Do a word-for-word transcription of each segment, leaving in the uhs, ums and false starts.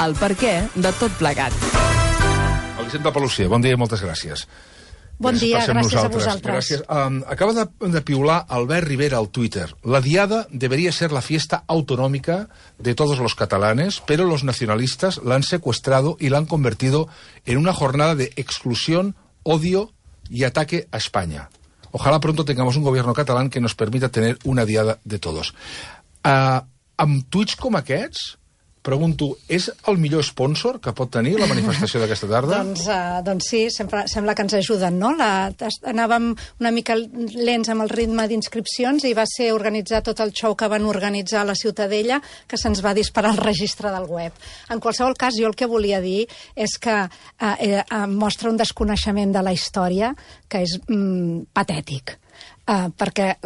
el perquè de tot plegat. Elisenda Palucia, bon dia i moltes gràcies. Bon gràcies dia, per ser amb gràcies a nosaltres. vosaltres. Gràcies. Um, acaba de, de piular Albert Rivera al Twitter. La diada debería ser la fiesta autonómica de todos los catalanes, pero los nacionalistas la han secuestrado y la han convertido en una jornada de exclusión, odio y ataque a España. Ojalá pronto tengamos un gobierno catalán que nos permita tener una diada de todos. Uh, amb tuits com aquests, pregunto, és el millor sponsor que pot tenir la manifestació d'aquesta tarda? doncs, uh, doncs sí, sempre, sembla que ens ajuden, no? La, anàvem una mica lents amb el ritme d'inscripcions i va ser organitzar tot el show que van organitzar a la Ciutadella, que se'ns va disparar el registre del web. En qualsevol cas, jo el que volia dir és que uh, eh, mostra un desconeixement de la història que és mm, patètic. Uh, perquè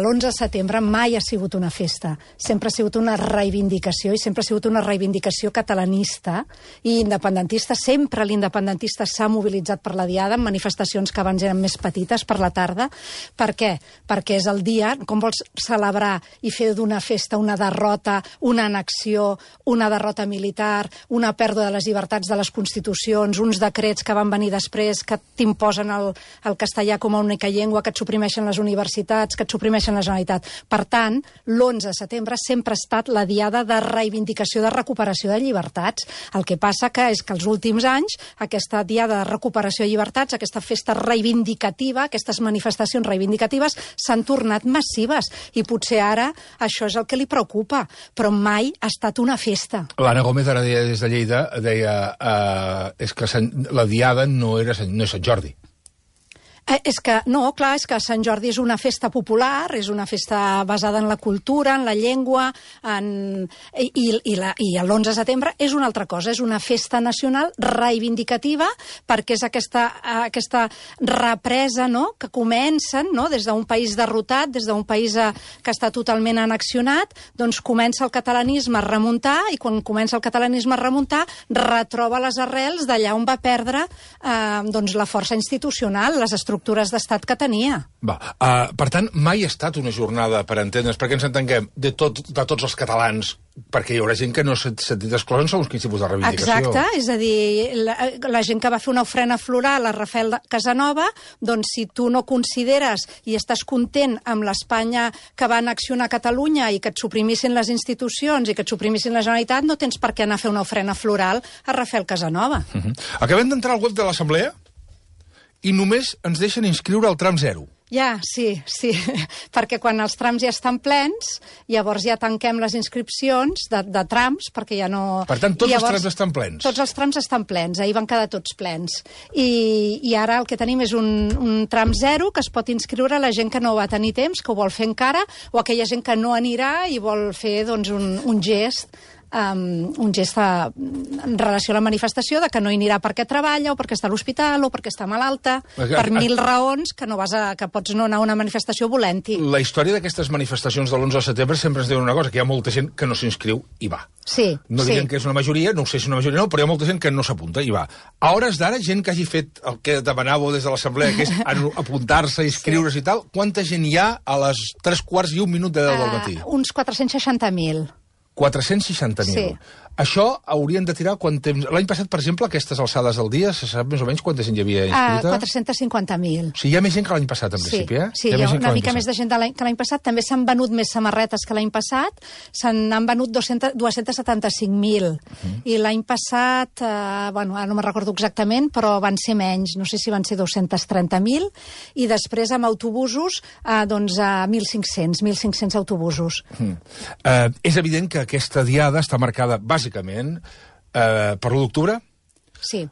l'onze de setembre mai ha sigut una festa, sempre ha sigut una reivindicació i sempre ha sigut una reivindicació catalanista i independentista. Sempre l'independentista s'ha mobilitzat per la diada en manifestacions que abans eren més petites per la tarda. Per què? Perquè és el dia, com vols celebrar i fer d'una festa una derrota, una annexió, una derrota militar, una pèrdua de les llibertats de les constitucions, uns decrets que van venir després que t'imposen el, el castellà com a única llengua, que et suprimeixen les universitats, que et suprimeixen la Generalitat. Per tant, l'onze de setembre sempre ha estat la diada de reivindicació, de recuperació de llibertats. El que passa que és que els últims anys aquesta diada de recuperació de llibertats, aquesta festa reivindicativa, aquestes manifestacions reivindicatives s'han tornat massives i potser ara això és el que li preocupa, però mai ha estat una festa. L'Anna Gómez, ara deia des de Lleida, deia uh, és que Sant, la diada no, era Sant, no és Sant Jordi. Eh, és que, no, clar, és que Sant Jordi és una festa popular, és una festa basada en la cultura, en la llengua, en... i, i, la, i l'onze de setembre és una altra cosa, és una festa nacional reivindicativa, perquè és aquesta, aquesta represa, no?, que comencen, no?, des d'un país derrotat, des d'un país eh, que està totalment annexionat, doncs comença el catalanisme a remuntar, i quan comença el catalanisme a remuntar, retroba les arrels d'allà on va perdre eh, doncs la força institucional, les estructures estructures d'estat que tenia. Va, uh, per tant, mai ha estat una jornada, per entendre's, perquè ens entenguem, de, tot, de tots els catalans, perquè hi haurà gent que no s'ha sentit exclosa en segons quin tipus de reivindicació. Exacte, és a dir, la, la gent que va fer una ofrena floral a Rafael Casanova, doncs si tu no consideres i estàs content amb l'Espanya que va annexionar Catalunya i que et suprimissin les institucions i que et suprimissin la Generalitat, no tens per què anar a fer una ofrena floral a Rafael Casanova. Uh -huh. Acabem d'entrar al web de l'Assemblea i només ens deixen inscriure al tram zero. Ja, sí, sí, perquè quan els trams ja estan plens, llavors ja tanquem les inscripcions de, de trams, perquè ja no... Per tant, tots llavors, els trams estan plens? Tots els trams estan plens, ahir van quedar tots plens. I, i ara el que tenim és un, un tram zero que es pot inscriure la gent que no va tenir temps, que ho vol fer encara, o aquella gent que no anirà i vol fer doncs, un, un gest Um, un gest a, en relació a la manifestació de que no hi anirà perquè treballa o perquè està a l'hospital o perquè està malalta, a, a, per mil raons que no vas a, que pots no anar a una manifestació volent-hi. La història d'aquestes manifestacions de l'onze de setembre sempre ens diu una cosa, que hi ha molta gent que no s'inscriu i va. Sí, no sí. diuen que és una majoria, no sé si és una majoria o no, però hi ha molta gent que no s'apunta i va. A hores d'ara, gent que hagi fet el que demanàveu des de l'Assemblea, que és apuntar-se, inscriure's sí. i tal, quanta gent hi ha a les tres quarts i un minut de deu del matí? Uh, uns quatre-cents seixanta mil. quatre-cents seixanta mil. Sí. Això haurien de tirar quan temps... L'any passat, per exemple, aquestes alçades del dia, se sap més o menys quanta gent hi havia inscrita? Uh, quatre-cents cinquanta mil. O sigui, hi ha més gent que l'any passat, en sí. principi, eh? Sí, hi ha, hi ha una mica més de gent que l'any passat. També s'han venut més samarretes que l'any passat. Se n'han venut dos-cents setanta-cinc mil. Uh-huh. I l'any passat, eh, bueno, ara no me'n recordo exactament, però van ser menys. No sé si van ser dos-cents trenta mil. I després, amb autobusos, eh, doncs, a mil cinc-cents autobusos. Uh-huh. Uh, és evident que aquesta diada està marcada, bàsicament, eh, per l'u d'octubre? Sí.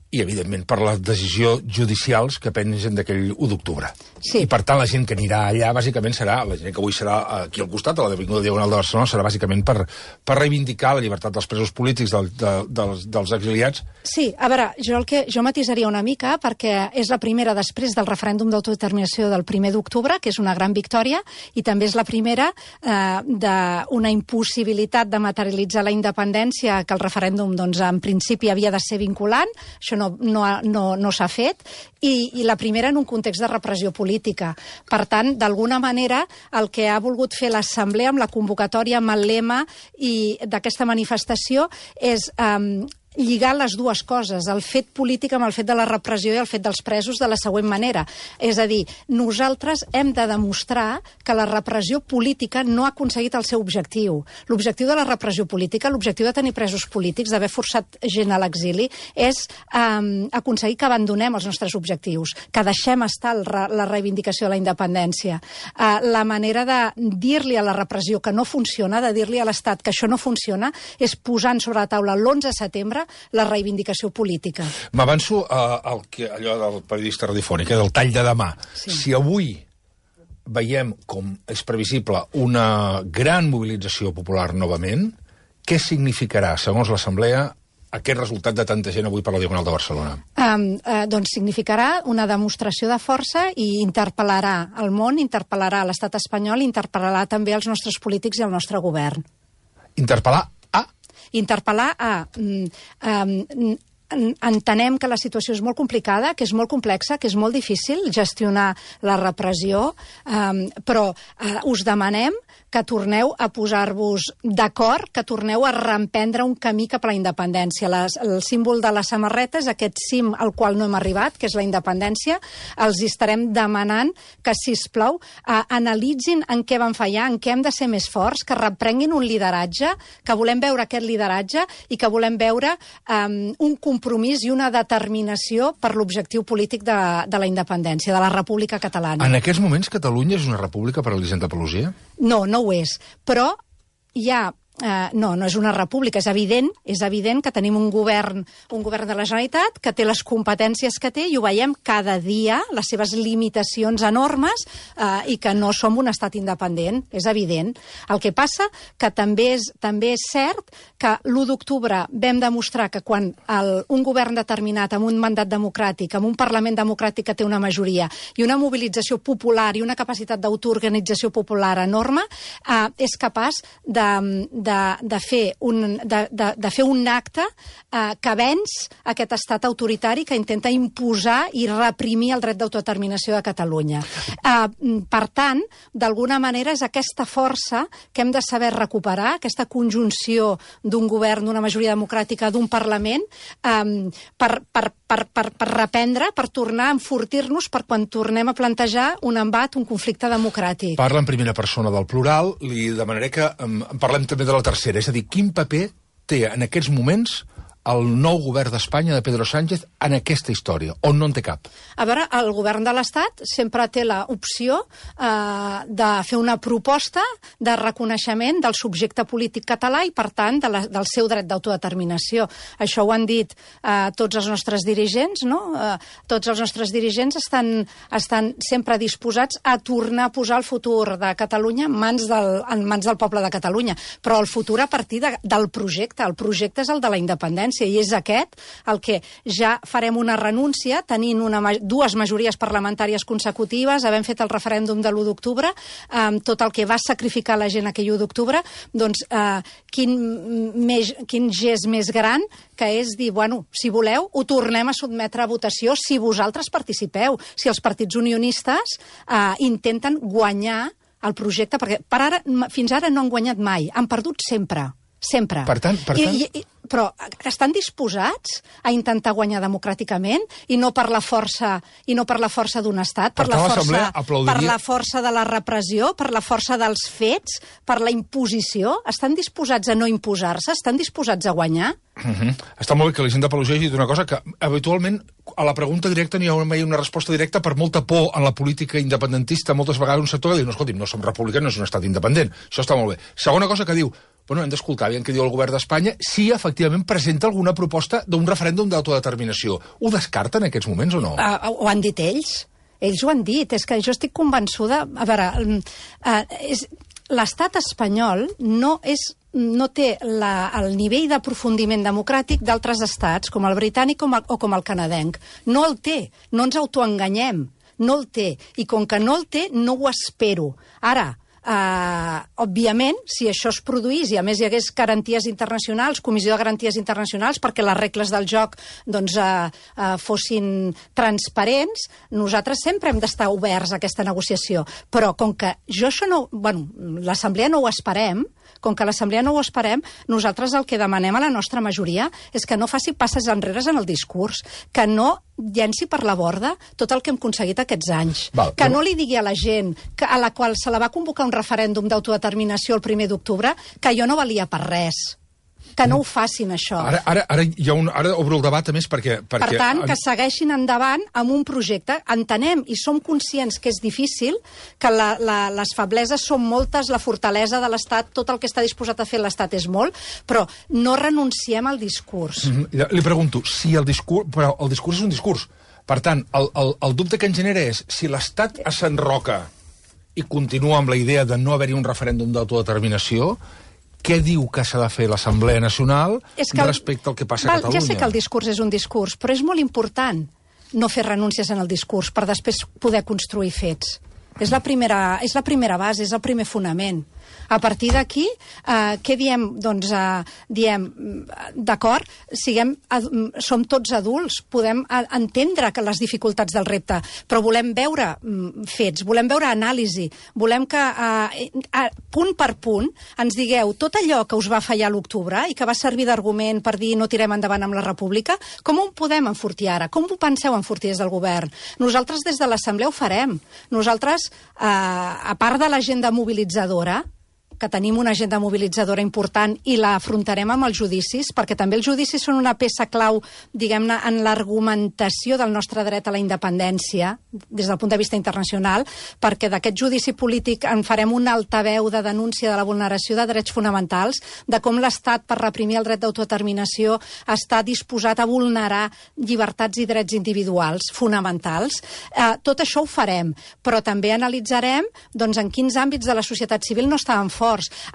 I, evidentment, per les decisions judicials que pengen d'aquell u d'octubre. Sí. I, per tant, la gent que anirà allà, bàsicament, serà, la gent que avui serà aquí al costat, a l'Avinguda Diagonal de Barcelona, serà bàsicament per, per reivindicar la llibertat dels presos polítics, del, de, dels, dels exiliats. Sí, a veure, jo el que jo matisaria una mica, perquè és la primera després del referèndum d'autodeterminació del primer d'octubre, que és una gran victòria, i també és la primera eh, d'una impossibilitat de materialitzar la independència, que el referèndum, doncs, en principi havia de ser vinculant. Això no, no, no, no s'ha fet, i, i la primera en un context de repressió política. Per tant, d'alguna manera, el que ha volgut fer l'Assemblea amb la convocatòria, amb el lema i d'aquesta manifestació és eh, lligar les dues coses, el fet polític amb el fet de la repressió i el fet dels presos, de la següent manera. És a dir, nosaltres hem de demostrar que la repressió política no ha aconseguit el seu objectiu. L'objectiu de la repressió política, l'objectiu de tenir presos polítics, d'haver forçat gent a l'exili, és eh, aconseguir que abandonem els nostres objectius, que deixem estar el, la reivindicació de la independència. Eh, la manera de dir-li a la repressió que no funciona, de dir-li a l'Estat que això no funciona, és posant sobre la taula l'onze de setembre la reivindicació política. M'avanço a, a, a allò del periodista radiofònic, del tall de demà. Sí. Si avui veiem, com és previsible, una gran mobilització popular novament, què significarà, segons l'Assemblea, aquest resultat de tanta gent avui per la Diagonal de Barcelona? Um, uh, doncs significarà una demostració de força i interpel·larà el món, interpel·larà l'estat espanyol, interpel·larà també els nostres polítics i el nostre govern. Interpel·lar Interpel·lar a... Um, um, entenem que la situació és molt complicada, que és molt complexa, que és molt difícil gestionar la repressió, um, però uh, us demanem que torneu a posar-vos d'acord, que torneu a reemprendre un camí cap a la independència. Les, el símbol de la samarreta és aquest cim al qual no hem arribat, que és la independència. Els estarem demanant que, sisplau, uh, analitzin en què van fallar, en què hem de ser més forts, que reprenguin un lideratge, que volem veure aquest lideratge i que volem veure um, un compromís i una determinació per l'objectiu polític de, de la independència, de la República Catalana. En aquests moments, Catalunya és una república per a l'Elisenda Pelosia? No, no ho és, però hi ha... Uh, no, no és una república, és evident, és evident que tenim un govern, un govern de la Generalitat que té les competències que té i ho veiem cada dia, les seves limitacions enormes uh, i que no som un estat independent, és evident. El que passa que també és, també és cert que l'u d'octubre vam demostrar que quan el, un govern determinat amb un mandat democràtic, amb un Parlament democràtic que té una majoria i una mobilització popular i una capacitat d'autoorganització popular enorme, uh, és capaç de, de De, de, fer un, de, de, de fer un acte eh, que venç aquest estat autoritari que intenta imposar i reprimir el dret d'autodeterminació de Catalunya. Eh, per tant, d'alguna manera és aquesta força que hem de saber recuperar, aquesta conjunció d'un govern, d'una majoria democràtica, d'un Parlament, eh, per, per, per, per, per reprendre, per tornar a enfortir-nos per quan tornem a plantejar un embat, un conflicte democràtic. Parla en primera persona del plural, li demanaré que um, parlem també de la tercera, és a dir, quin paper té en aquests moments el nou govern d'Espanya de Pedro Sánchez en aquesta història, on no en té cap? A veure, el govern de l'Estat sempre té l'opció eh, de fer una proposta de reconeixement del subjecte polític català i, per tant, de la, del seu dret d'autodeterminació. Això ho han dit eh, tots els nostres dirigents, no? Eh, tots els nostres dirigents estan, estan sempre disposats a tornar a posar el futur de Catalunya en mans del, en mans del poble de Catalunya, però el futur a partir de, del projecte. El projecte és el de la independència, i és aquest el que ja farem una renúncia, tenint una, dues majories parlamentàries consecutives, havent fet el referèndum de l'u d'octubre, eh, tot el que va sacrificar la gent aquell u d'octubre, doncs eh, quin, més, quin gest més gran que és dir, bueno, si voleu, ho tornem a sotmetre a votació si vosaltres participeu, si els partits unionistes eh, intenten guanyar el projecte, perquè per ara, fins ara no han guanyat mai, han perdut sempre. Sempre. Per tant, per tant... I, i, però estan disposats a intentar guanyar democràticament i no per la força i no per la força d'un estat, per, per la força, aplaudiria... per la força de la repressió, per la força dels fets, per la imposició? Estan disposats a no imposar-se? Estan disposats a guanyar? Uh -huh. Està molt bé que l'Elisenda Pelosia hagi dit una cosa que habitualment a la pregunta directa n'hi ha mai una resposta directa per molta por en la política independentista. Moltes vegades un sector que diu, no, escolti'm, no som republicans, no és un estat independent. Això està molt bé. Segona cosa que diu, bueno, hem d'escoltar bien què diu el govern d'Espanya si efectivament presenta alguna proposta d'un referèndum d'autodeterminació. Ho descarten en aquests moments o no? Uh, ho han dit ells. Ells ho han dit. És que jo estic convençuda... A veure, uh, és... l'estat espanyol no és no té la, el nivell d'aprofundiment democràtic d'altres estats, com el britànic com el, o com el canadenc. No el té, no ens autoenganyem, no el té. I com que no el té, no ho espero. Ara, eh, òbviament, si això es produís i a més hi hagués garanties internacionals, comissió de garanties internacionals, perquè les regles del joc doncs, eh, eh, fossin transparents, nosaltres sempre hem d'estar oberts a aquesta negociació. Però com que jo això no... Bueno, l'Assemblea no ho esperem, com que l'Assemblea no ho esperem, nosaltres el que demanem a la nostra majoria és que no faci passes enrere en el discurs, que no llenci per la borda tot el que hem aconseguit aquests anys, Val, que però... no li digui a la gent que, a la qual se la va convocar un referèndum d'autodeterminació el primer d'octubre que jo no valia per res. Que no ho facin, això. Ara, ara, ara, hi ha un, ara obro el debat, a més, perquè... perquè per tant, que segueixin endavant amb un projecte. Entenem i som conscients que és difícil, que la, la, les febleses són moltes, la fortalesa de l'Estat, tot el que està disposat a fer l'Estat és molt, però no renunciem al discurs. Mm-hmm. Li pregunto, si el discurs... Però el discurs és un discurs. Per tant, el, el, el dubte que ens genera és si l'Estat s'enroca i continua amb la idea de no haver-hi un referèndum d'autodeterminació, què diu que s'ha de fer l'Assemblea Nacional el, respecte al que passa val, a Catalunya? Ja sé que el discurs és un discurs, però és molt important no fer renúncies en el discurs per després poder construir fets. És la primera, és la primera base, és el primer fonament. A partir d'aquí, eh, què diem? Doncs eh, diem, d'acord, siguem, som tots adults, podem entendre que les dificultats del repte, però volem veure fets, volem veure anàlisi, volem que eh, eh, punt per punt ens digueu tot allò que us va fallar a l'octubre i que va servir d'argument per dir no tirem endavant amb la República, com ho podem enfortir ara? Com ho penseu enfortir des del govern? Nosaltres des de l'Assemblea ho farem. Nosaltres, eh, a part de l'agenda mobilitzadora, que tenim una agenda mobilitzadora important i la afrontarem amb els judicis, perquè també els judicis són una peça clau, diguem-ne, en l'argumentació del nostre dret a la independència, des del punt de vista internacional, perquè d'aquest judici polític en farem un altaveu de denúncia de la vulneració de drets fonamentals, de com l'Estat, per reprimir el dret d'autodeterminació, està disposat a vulnerar llibertats i drets individuals fonamentals. Eh, tot això ho farem, però també analitzarem doncs, en quins àmbits de la societat civil no estaven forts.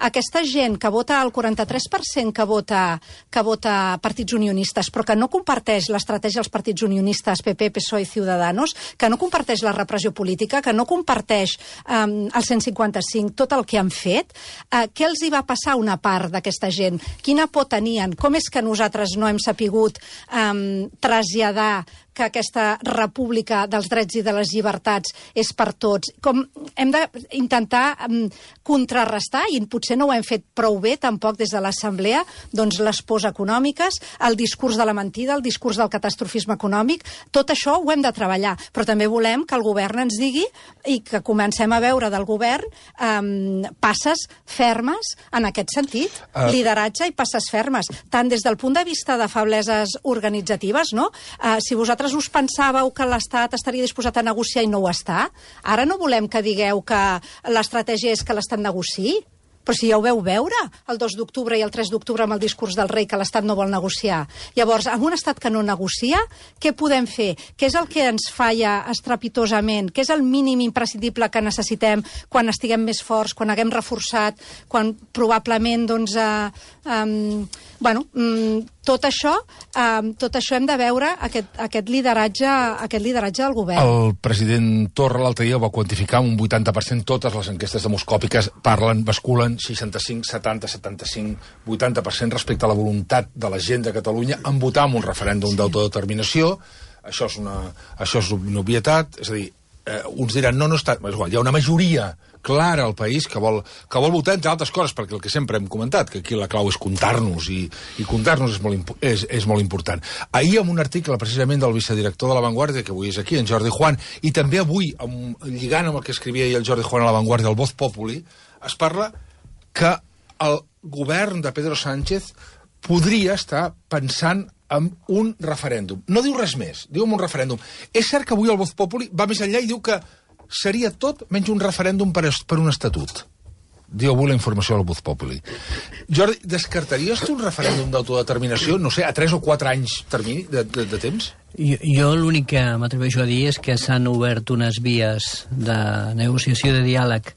Aquesta gent que vota, el quaranta-tres per cent que vota, que vota partits unionistes, però que no comparteix l'estratègia dels partits unionistes, P P, P S O E i Ciudadanos, que no comparteix la repressió política, que no comparteix um, el cent cinquanta cinc, tot el que han fet, uh, què els hi va passar a una part d'aquesta gent? Quina por tenien? Com és que nosaltres no hem sapigut um, traslladar que aquesta república dels drets i de les llibertats és per tots? Com hem d'intentar um, contrarrestar, i potser no ho hem fet prou bé tampoc des de l'Assemblea, doncs les pors econòmiques, el discurs de la mentida, el discurs del catastrofisme econòmic, tot això ho hem de treballar, però també volem que el govern ens digui i que comencem a veure del govern um, passes fermes en aquest sentit, uh... lideratge i passes fermes, tant des del punt de vista de febleses organitzatives, no? Uh, si vosaltres us pensàveu que l'Estat estaria disposat a negociar i no ho està, ara no volem que digueu que l'estratègia és que l'Estat negociï, però si ja ho veu veure el dos d'octubre i el tres d'octubre amb el discurs del rei que l'Estat no vol negociar. Llavors, amb un Estat que no negocia, què podem fer? Què és el que ens falla estrepitosament? Què és el mínim imprescindible que necessitem quan estiguem més forts, quan haguem reforçat, quan probablement, doncs, eh, um, bueno, um, tot això, um, tot això hem de veure aquest, aquest, lideratge, aquest lideratge del govern. El president Torra l'altre dia ho va quantificar amb un vuitanta per cent. Totes les enquestes demoscòpiques parlen, basculen seixanta-cinc, setanta, setanta-cinc, vuitanta per cent respecte a la voluntat de la gent de Catalunya en votar en un referèndum sí. d'autodeterminació. Això és una, això és una obvietat, és a dir, eh, uns diran, no, no està... És igual, hi ha una majoria clara al país que vol, que vol votar, entre altres coses, perquè el que sempre hem comentat, que aquí la clau és comptar-nos, i, i comptar-nos és, molt, és, és molt important. Ahir, en un article, precisament, del vicedirector de La Vanguardia, que avui és aquí, en Jordi Juan, i també avui, amb, lligant amb el que escrivia ahir el Jordi Juan a La Vanguardia, el Voz Populi, es parla que el govern de Pedro Sánchez podria estar pensant en un referèndum. No diu res més, diu en un referèndum. És cert que avui el Voz Populi va més enllà i diu que seria tot menys un referèndum per, per un estatut. Diu avui la informació del Voz Populi. Jordi, descartaries tu un referèndum d'autodeterminació, no sé, a tres o quatre anys termini de, de, de temps? Jo, jo l'únic que m'atreveixo a dir és que s'han obert unes vies de negociació, de diàleg,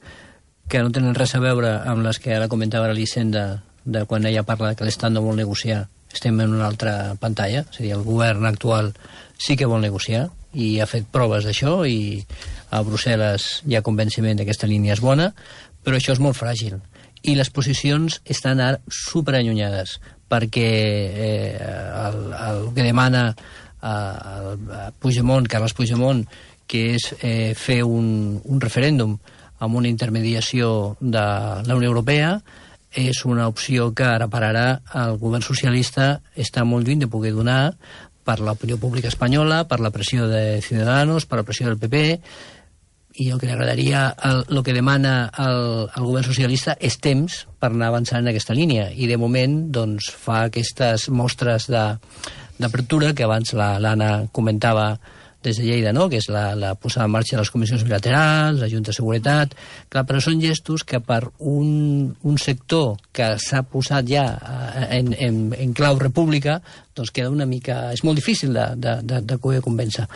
que no tenen res a veure amb les que ara comentava l'Elisenda, de quan ella parla que l'Estat no vol negociar. Estem en una altra pantalla, és a dir, el govern actual sí que vol negociar i ha fet proves d'això i a Brussel·les hi ha convenciment que aquesta línia és bona, però això és molt fràgil. I les posicions estan ara superallunyades, perquè eh, el, el que demana eh, el Puigdemont, Carles Puigdemont, que és eh, fer un, un referèndum amb una intermediació de la Unió Europea, és una opció que ara per ara el govern socialista està molt lluny de poder donar per l'opinió pública espanyola, per la pressió de Ciudadanos, per la pressió del P P, i el que li agradaria, el, el que demana el, el govern socialista és temps per anar avançant en aquesta línia, i de moment doncs, fa aquestes mostres d'apertura que abans l'Anna comentava des de Lleida, no? Que és la, la posada en marxa de les comissions bilaterals, la Junta de Seguretat. Clar, però són gestos que per un, un sector que s'ha posat ja en, en, en clau república, doncs queda una mica... És molt difícil de, de, de, de poder convèncer.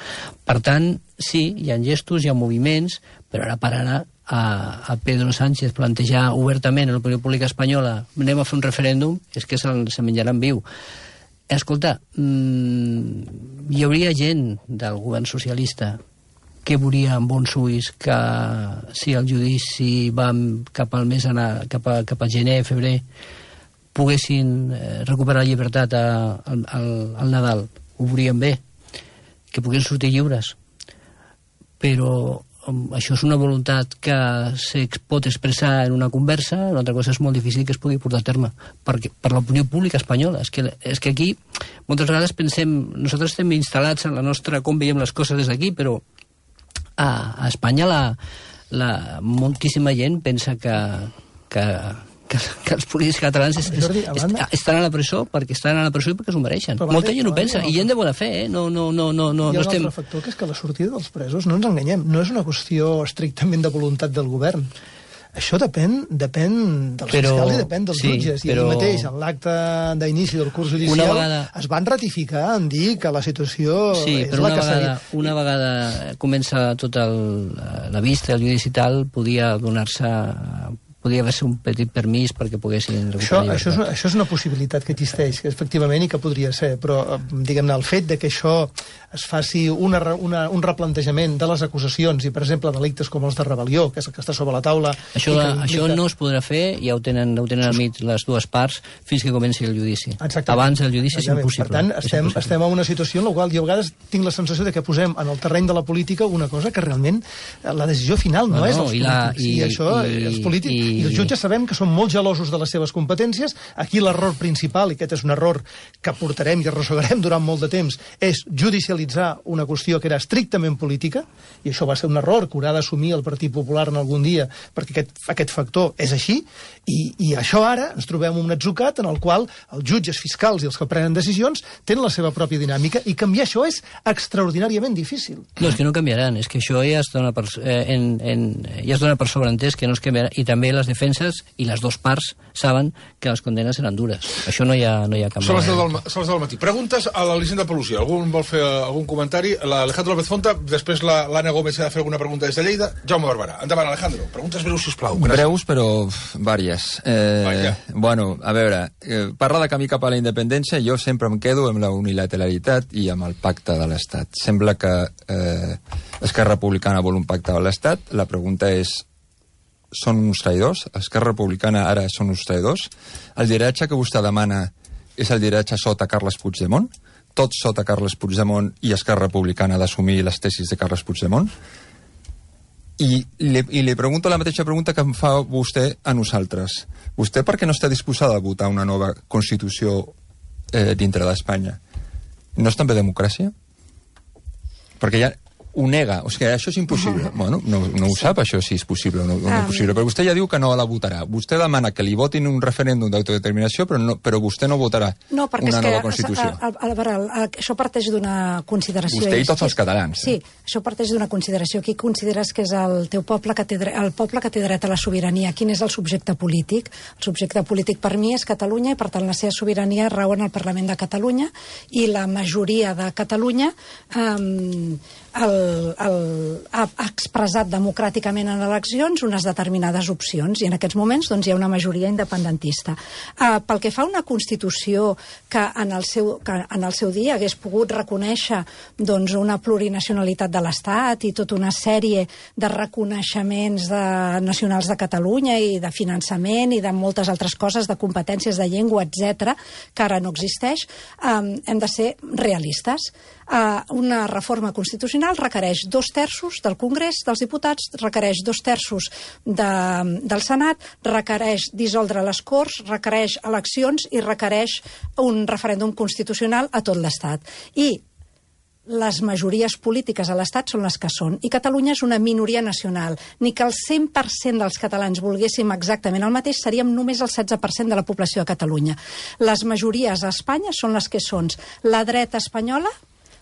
Per tant, sí, hi ha gestos, hi ha moviments, però ara per ara a, a Pedro Sánchez plantejar obertament a l'opinió pública espanyola anem a fer un referèndum, és que se, se menjaran viu. Escolta, mmm, hi hauria gent del govern socialista que veuria amb bons ulls que si el judici va cap al mes anar, cap a, cap a gener, febrer, poguessin eh, recuperar la llibertat a, a, al, al Nadal. Ho veurien bé, que poguessin sortir lliures. Però um, això és una voluntat que se pot expressar en una conversa, una altra cosa és molt difícil que es pugui portar a terme perquè, per l'opinió pública espanyola. És que, és que aquí moltes vegades pensem, nosaltres estem instal·lats en la nostra, com veiem les coses des d'aquí, però a, a Espanya la, la, moltíssima gent pensa que, que, que, que els polítics catalans es, Jordi, es, banda... estan a la presó perquè estan a la presó i perquè s'ho mereixen. Però molta banda, gent ho pensa, banda, i gent de bona fe, eh? No, no, no, no, no, hi ha no un estem... altre factor, que és que la sortida dels presos, no ens enganyem, no és una qüestió estrictament de voluntat del govern. Això depèn, depèn dels però, fiscals i depèn dels sí, jutges. I però... ahir mateix, en l'acte d'inici del curs judicial, vegada... es van ratificar en dir que la situació sí, és però la una que vegada, seria... una vegada comença tota la vista, el judici i tal, podia donar-se... Podia haver-se un petit permís perquè poguessin recuperar això, això, és una, això és una possibilitat que existeix, que efectivament i que podria ser, però diguem-ne, el fet de que això es faci una, una, un replantejament de les acusacions i, per exemple, delictes com els de rebel·lió, que és el que està sobre la taula... Això, la, implica... això no es podrà fer, ja ho tenen, ho tenen al mig les dues parts, fins que comenci el judici. Exactament. Abans el judici és impossible. Per tant, estem, impossible. estem en una situació en la qual jo a vegades tinc la sensació de que posem en el terreny de la política una cosa que realment la decisió final no, no és dels i la, polítics. I, I, això, i, els polítics, i, i els jutges sabem que són molt gelosos de les seves competències. Aquí l'error principal, i aquest és un error que portarem i arrossegarem durant molt de temps, és judicialitzar una qüestió que era estrictament política, i això va ser un error que haurà d'assumir el Partit Popular en algun dia, perquè aquest, aquest factor és així, i, i això ara ens trobem un atzucat en el qual els jutges fiscals i els que prenen decisions tenen la seva pròpia dinàmica, i canviar això és extraordinàriament difícil. No, és que no canviaran, és que això ja es dona per, eh, en, en, ja es dona per sobreentès que no es canviarà, i també les defenses i les dues parts saben que les condenes seran dures. Això no hi ha, no hi ha canvi. Són les deu del, són les deu del matí. Preguntes a l'Elisenda Pelusi. Algú vol fer algun comentari? L'Alejandro López Fonta, després l'Anna Gómez ha de fer alguna pregunta des de Lleida. Jaume Barberà. Endavant, Alejandro. Preguntes breus, sisplau. Gràcies. Breus, però vàries. Eh, Vaja. bueno, a veure, eh, parlar de camí cap a la independència, jo sempre em quedo amb la unilateralitat i amb el pacte de l'Estat. Sembla que eh, Esquerra Republicana vol un pacte de l'Estat. La pregunta és, són uns traïdors? Esquerra Republicana ara són uns traïdors? El lideratge que vostè demana és el lideratge sota Carles Puigdemont? Tot sota Carles Puigdemont i Esquerra Republicana d'assumir les tesis de Carles Puigdemont? I li, I li pregunto la mateixa pregunta que em fa vostè a nosaltres. Vostè per què no està disposada a votar una nova Constitució eh, dintre d'Espanya? No és també democràcia? Perquè ja ho nega, o sigui, això és impossible. Bueno, no, no ho sap, això, si és possible o no, no possible, però vostè ja diu que no la votarà. Vostè demana que li votin un referèndum d'autodeterminació, però, no, però vostè no votarà no, una és nova que, Constitució. A, a, a veure, això parteix d'una consideració... Vostè i tots els catalans. Sí, això parteix d'una consideració. Qui consideres que és el teu poble que té dret, el poble que té dret a la sobirania? Quin és el subjecte polític? El subjecte polític per mi és Catalunya, i per tant la seva sobirania rau en el Parlament de Catalunya, i la majoria de Catalunya... Eh, el, el, ha expressat democràticament en eleccions unes determinades opcions i en aquests moments doncs, hi ha una majoria independentista. Uh, pel que fa a una Constitució que en el seu, que en el seu dia hagués pogut reconèixer doncs, una plurinacionalitat de l'Estat i tota una sèrie de reconeixements de, nacionals de Catalunya i de finançament i de moltes altres coses, de competències de llengua, etcètera, que ara no existeix, um, hem de ser realistes. Uh, una reforma constitucional requereix dos terços del Congrés dels Diputats, requereix dos terços de, del Senat, requereix dissoldre les Corts, requereix eleccions i requereix un referèndum constitucional a tot l'Estat. I les majories polítiques a l'Estat són les que són, i Catalunya és una minoria nacional. Ni que el cent per cent dels catalans volguéssim exactament el mateix, seríem només el setze per cent de la població de Catalunya. Les majories a Espanya són les que són. La dreta espanyola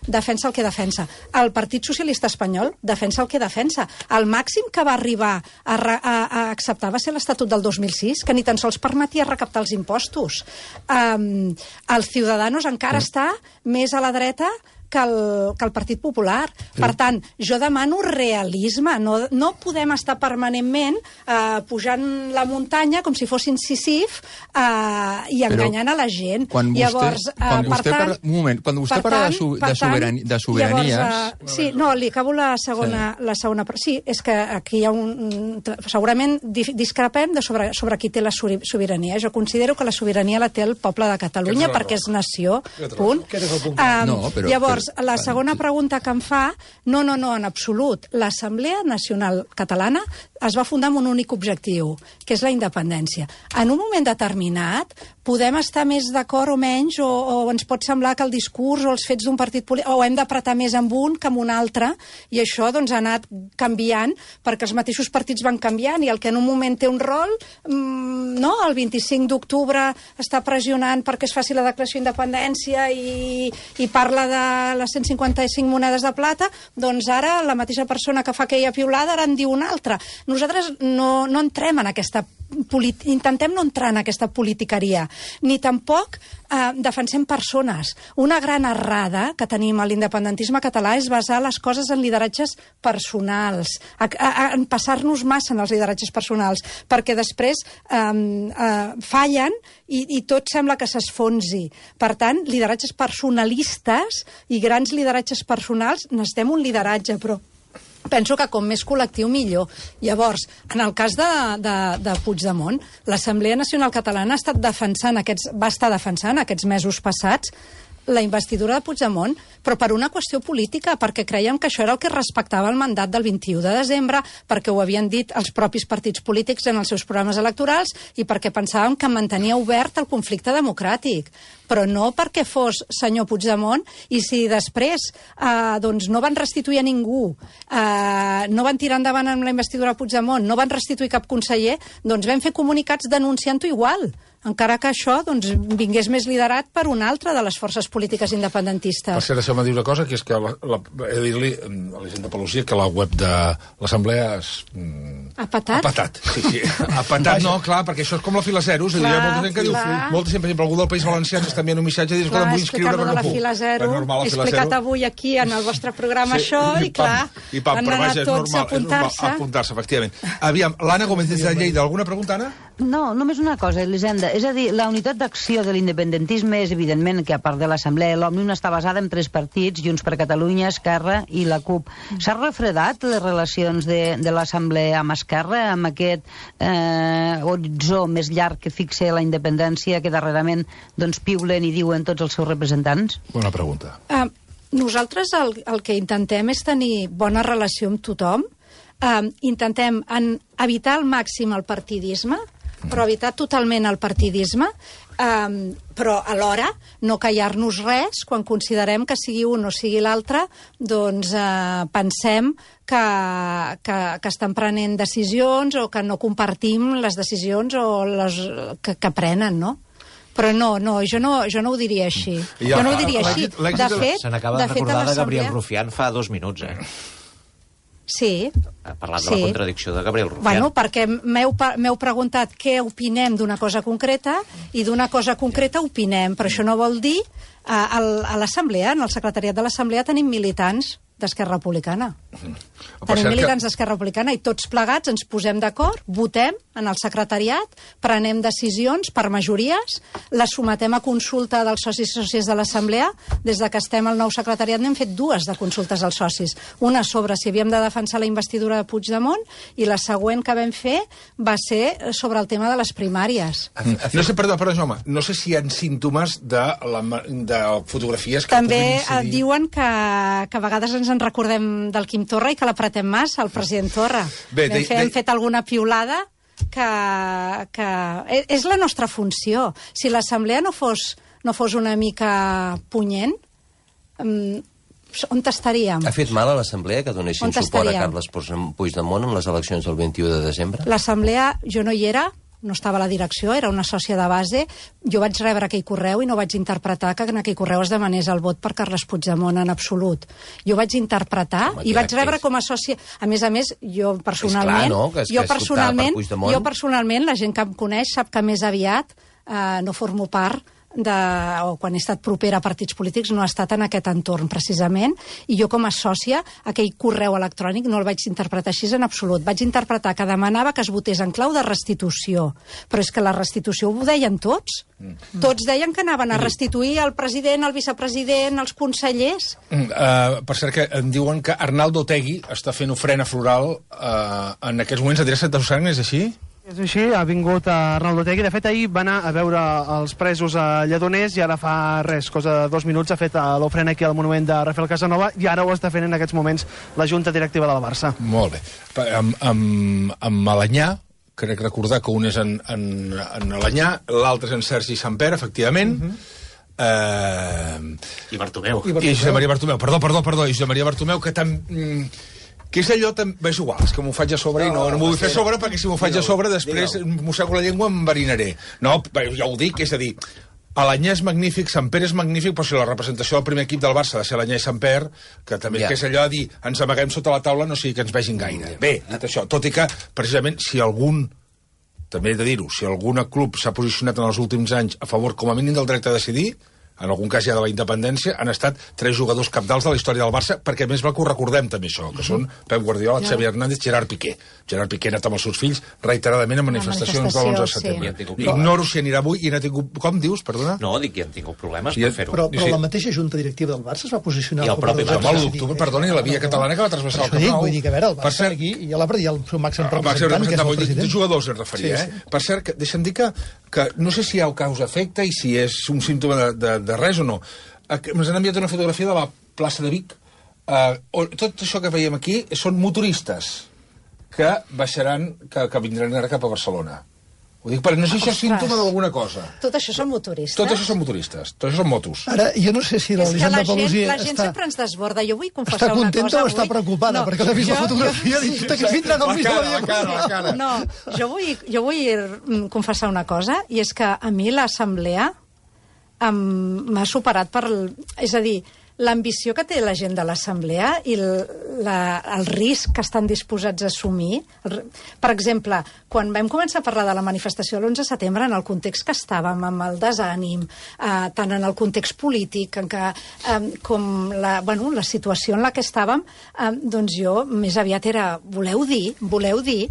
defensa el que defensa. El Partit Socialista Espanyol defensa el que defensa. El màxim que va arribar a, a, a acceptar va ser l'Estatut del dos mil sis, que ni tan sols permetia recaptar els impostos. Um, el Ciudadanos encara està més a la dreta que el, que el Partit Popular. Per tant, jo demano realisme. No, no podem estar permanentment eh, pujant la muntanya com si fossin Sísif eh, i enganyant Però a la gent. Quan vostè, llavors, eh, quan per vostè tant, parla, un moment, quan vostè per parla tant, de, su, per de, soberani, de sobiranies... Llavors, uh, sí, no, li acabo la segona... Sí. La segona sí, és que aquí hi ha un... Segurament discrepem de sobre, sobre qui té la sobirania. Jo considero que la sobirania la té el poble de Catalunya perquè és nació, punt. Um, no, però, llavors, però, la segona pregunta que em fa, no, no, no, en absolut. L'Assemblea Nacional Catalana es va fundar amb un únic objectiu, que és la independència. En un moment determinat podem estar més d'acord o menys, o, o ens pot semblar que el discurs o els fets d'un partit polític, o hem d'apretar més amb un que amb un altre, i això doncs, ha anat canviant, perquè els mateixos partits van canviant, i el que en un moment té un rol, mmm, no? El vint-i-cinc d'octubre està pressionant perquè es faci la declaració d'independència i, i parla de les cent cinquanta-cinc monedes de plata, doncs ara la mateixa persona que fa aquella piulada ara en diu una altra. Nosaltres no, no entrem en aquesta intentem no entrar en aquesta politiqueria, ni tampoc eh, defensem persones. Una gran errada que tenim a l'independentisme català és basar les coses en lideratges personals, a, a, a, en passar-nos massa en els lideratges personals, perquè després eh, eh, fallen i, i tot sembla que s'esfonsi. Per tant, lideratges personalistes i grans lideratges personals, necessitem un lideratge, però penso que com més col·lectiu millor. Llavors, en el cas de, de, de Puigdemont, l'Assemblea Nacional Catalana ha estat defensant aquests, va estar defensant aquests mesos passats la investidura de Puigdemont, però per una qüestió política, perquè creiem que això era el que respectava el mandat del vint-i-u de desembre, perquè ho havien dit els propis partits polítics en els seus programes electorals i perquè pensàvem que mantenia obert el conflicte democràtic, però no perquè fos senyor Puigdemont, i si després eh, doncs no van restituir a ningú, eh, no van tirar endavant amb la investidura de Puigdemont, no van restituir cap conseller, doncs vam fer comunicats denunciant-ho igual, encara que això doncs, vingués més liderat per una altra de les forces polítiques independentistes. Per cert, deixeu-me dir una cosa, que és que la, la, he de dir-li a la gent de Pelusia que la web de l'Assemblea és... Ha patat? Ha patat, sí, sí. Ha patat, no, clar, perquè això és com la fila zero. És a dir, hi ha molta gent que diu... Molta gent, per exemple, algú del País Valencià ens està enviant un missatge i diu, escolta, em vull inscriure, però no puc. La fila zero, he explicat avui aquí en el vostre programa sí, això, i, i clar, i pam, han anat tots a apuntar-se. apuntar-se, efectivament. Aviam, l'Anna Gómez des de Lleida, alguna pregunta, Anna? No, només una cosa, Elisenda. És a dir, la unitat d'acció de l'independentisme és evidentment que, a part de l'Assemblea, l'Òmnium està basada en tres partits, Junts per Catalunya, Esquerra i la CUP. S'ha refredat les relacions de, de l'Assemblea amb Esquerra, amb aquest eh, horitzó més llarg que fixa la independència, que darrerament doncs, piulen i diuen tots els seus representants? Bona pregunta. Uh, nosaltres el, el que intentem és tenir bona relació amb tothom, uh, intentem en, evitar al màxim el partidisme, però evitar totalment el partidisme, um, però alhora no callar-nos res quan considerem que sigui un o sigui l'altre, doncs uh, pensem que, que, que estan prenent decisions o que no compartim les decisions o les, que, que prenen, no? Però no, no, jo no, jo no ho diria així. Ja, jo no ho diria així. De fet, se n'acaba de recordar de Gabriel Rufián fa dos minuts, eh? Sí. Ha parlat sí. de la contradicció de Gabriel Rufián. Bueno, perquè m'heu preguntat què opinem d'una cosa concreta i d'una cosa concreta opinem, però això no vol dir... A, a l'Assemblea, en el secretariat de l'Assemblea tenim militants d'Esquerra Republicana. Mm. Tenim militants d'Esquerra Republicana i tots plegats ens posem d'acord, votem en el secretariat, prenem decisions per majories, les sometem a consulta dels socis i sòcies de l'Assemblea. Des de que estem al nou secretariat n'hem fet dues de consultes als socis. Una sobre si havíem de defensar la investidura de Puigdemont i la següent que vam fer va ser sobre el tema de les primàries. No sé, perdó, perdó, home, no sé si hi ha símptomes de, la, de fotografies que també puguin incidir. Diuen que, que a vegades ens en recordem del Quim Torra i que l'apretem massa, el president Torra. Bé, de, de... Hem fet alguna piulada que, que és la nostra funció. Si l'Assemblea no fos, no fos una mica punyent, um, on estaríem? Ha fet mal a l'Assemblea que donessin suport a Carles Puigdemont en les eleccions del vint-i-u de desembre? L'Assemblea, jo no hi era, no estava a la direcció, era una sòcia de base. Jo vaig rebre aquell correu i no vaig interpretar que en aquell correu es demanés el vot per Carles Puigdemont en absolut. Jo vaig interpretar Home, i vaig rebre com a sòcia... A més a més, jo personalment... És clar, no? Que és, jo, que és personalment jo personalment, la gent que em coneix sap que més aviat eh, no formo part de, o quan he estat propera a partits polítics no ha estat en aquest entorn precisament, i jo com a sòcia aquell correu electrònic no el vaig interpretar així en absolut. Vaig interpretar que demanava que es votés en clau de restitució, però és que la restitució ho deien tots. Mm. Tots deien que anaven a restituir el president, el vicepresident, els consellers. Mm, uh, per cert, que em diuen que Arnaldo Otegi està fent ofrena floral uh, en aquests moments a Direct de Sang, és així? És així, ha vingut a Arnaldo Otegi. De fet, ahir va anar a veure els presos a Lledoners i ara fa res, cosa de dos minuts, ha fet l'ofrena aquí al monument de Rafael Casanova i ara ho està fent en aquests moments la Junta Directiva del Barça. Molt bé. Amb, amb, amb Alanyà, crec recordar que un és en, en, en Alanyà, l'altre és en Sergi Samper, efectivament. Uh -huh. eh... I Bartomeu. I, I Josep Maria Bartomeu. Perdó, perdó, perdó. I Josep Maria Bartomeu, que també... que és allò, és igual, és que m'ho faig a sobre no, i no, no m'ho vull fer a sobre, perquè si m'ho faig a sobre després mossego la llengua i m'enverinaré. No, ja ho dic, és a dir, Alanyà és magnífic, Samper és magnífic, però si la representació del primer equip del Barça ha de ser Alanyà i Samper, que també yeah. que és allò de dir, ens amaguem sota la taula, no sigui que ens vegin gaire. Bé, dit això, tot i que, precisament, si algun, també he de dir-ho, si algun club s'ha posicionat en els últims anys a favor, com a mínim, del dret a decidir, en algun cas ja de la independència, han estat tres jugadors capdals de la història del Barça, perquè més val que ho recordem també això, que són Pep Guardiola, Xavi Hernández, Gerard Piqué. Gerard Piqué ha anat amb els seus fills reiteradament a manifestacions de l'onze de setembre. Sí. Ignoro si anirà avui i n'ha tingut... Com dius, perdona? No, dic que han tingut problemes I, per fer-ho. Però, però la mateixa Junta Directiva del Barça es va posicionar... I el propi Barça. L'u d'octubre, perdona, i la via catalana que va trasbassar el Camp Nou. Vull dir que, a veure, el Barça aquí i l'ha perdut el seu màxim representant, que és el president. De jugadors es referia, sí, sí. eh? Per cert, deixa'm dir que, que no sé si hi ha causa-efecte i si és un símptoma de, de, de res o no. Ens han enviat una fotografia de la plaça de Vic. Uh, on, tot això que veiem aquí són motoristes que baixaran, que, que vindran ara cap a Barcelona. Ho dic perquè no sé si això és símptoma d'alguna cosa. Tot això són motoristes? Tot això són motoristes, tot això són motos. Ara, jo no sé si l'Elisenda Paluzie està... La gent sempre ens desborda. Jo vull confessar una cosa. Està contenta o està preocupada? No, perquè l'ha vist jo, la fotografia i ha dit que vindran al mig de la dia. La cara, la cara. No, jo vull, jo vull confessar una cosa, i és que a mi l'Assemblea m'ha superat per... És a dir, l'ambició que té la gent de l'Assemblea i el, la, el risc que estan disposats a assumir. El, per exemple, quan vam començar a parlar de la manifestació de l'onze de setembre, en el context que estàvem, amb el desànim, eh, tant en el context polític en què, eh, com la, bueno, la situació en la que estàvem, eh, doncs jo més aviat era, voleu dir, voleu dir,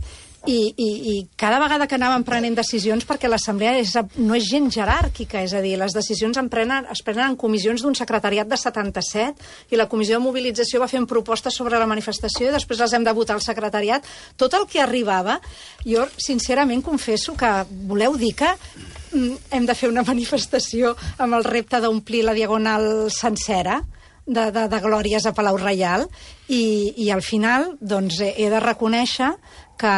I, i, i cada vegada que anàvem prenent decisions, perquè l'Assemblea és, no és gent jeràrquica, és a dir, les decisions en prenen, es prenen en comissions d'un secretariat de setanta-set i la comissió de mobilització va fent propostes sobre la manifestació i després les hem de votar al secretariat. Tot el que arribava, jo sincerament confesso que voleu dir que hem de fer una manifestació amb el repte d'omplir la diagonal sencera de, de, de glòries a Palau Reial i, i al final doncs, he de reconèixer que,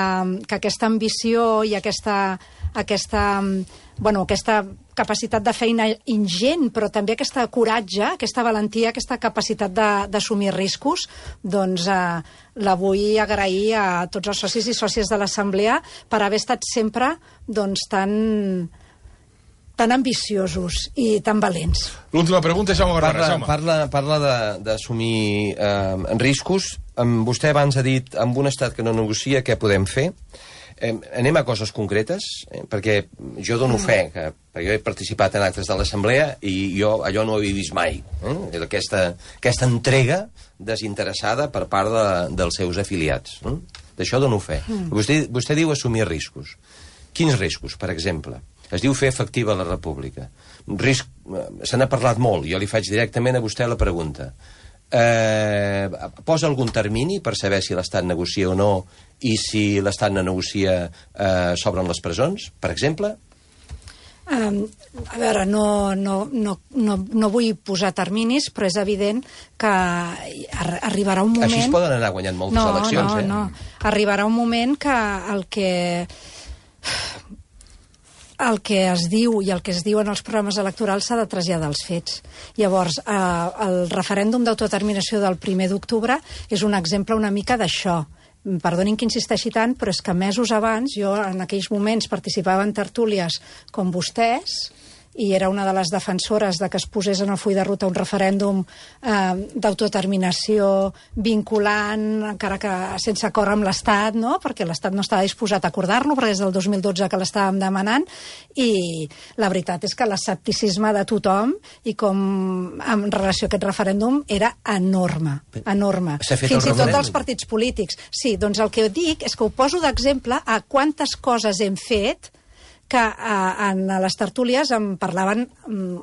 que aquesta ambició i aquesta, aquesta, bueno, aquesta capacitat de feina ingent, però també aquesta coratge, aquesta valentia, aquesta capacitat d'assumir riscos, doncs eh, la vull agrair a tots els socis i sòcies de l'Assemblea per haver estat sempre doncs, tan... tan ambiciosos i tan valents. L'última pregunta és Jaume Barbares. Parla, parla, parla d'assumir eh, riscos. Um, vostè abans ha dit, amb un estat que no negocia, què podem fer? Eh, anem a coses concretes, eh, perquè jo dono fe, que, perquè jo he participat en actes de l'Assemblea i jo allò no ho havia vist mai. Eh? Aquesta, aquesta entrega desinteressada per part de, dels seus afiliats. Eh? D'això dono fe. Mm. Vostè, vostè diu assumir riscos. Quins riscos, per exemple? Es diu fer efectiva la república. Risc, se n'ha parlat molt, jo li faig directament a vostè la pregunta. Eh, posa algun termini per saber si l'Estat negocia o no, i si l'Estat no negocia eh, s'obren les presons, per exemple? Um, a veure, no, no, no, no, no vull posar terminis, però és evident que ar arribarà un moment... Així es poden anar guanyant moltes no, eleccions, no, eh? No, arribarà un moment que el que... el que es diu i el que es diu en els programes electorals s'ha de traslladar als fets. Llavors, eh, el referèndum d'autodeterminació del primer d'octubre és un exemple una mica d'això. Perdonin que insisteixi tant, però és que mesos abans, jo en aquells moments participava en tertúlies com vostès, i era una de les defensores de que es posés en el full de ruta un referèndum eh, d'autodeterminació vinculant, encara que sense acord amb l'Estat, no? Perquè l'Estat no estava disposat a acordar-lo, perquè és del dos mil dotze que l'estàvem demanant, i la veritat és que l'escepticisme de tothom, i com en relació a aquest referèndum, era enorme, enorme. Fins i tot dels partits polítics. Sí, doncs el que dic és que ho poso d'exemple a quantes coses hem fet que eh, en les tertúlies em parlaven,